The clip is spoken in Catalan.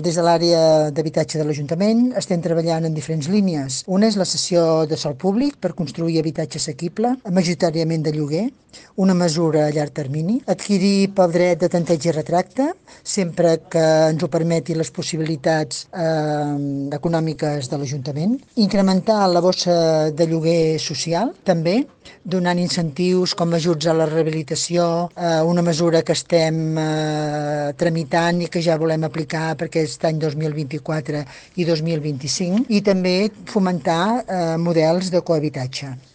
Des de l'àrea d'habitatge de l'Ajuntament estem treballant en diferents línies. Una és la cessió de sòl públic per construir habitatge assequible, majoritàriament de lloguer, una mesura a llarg termini. Adquirir pel dret de tanteig i retracte, sempre que ens ho permeti les possibilitats econòmiques de l'Ajuntament. Incrementar la bossa de lloguer social, també, donant incentius com ajuts a la rehabilitació, una mesura que estem tramitant i que ja volem aplicar perquè aquest any 2024 i 2025, i també fomentar models de cohabitatge.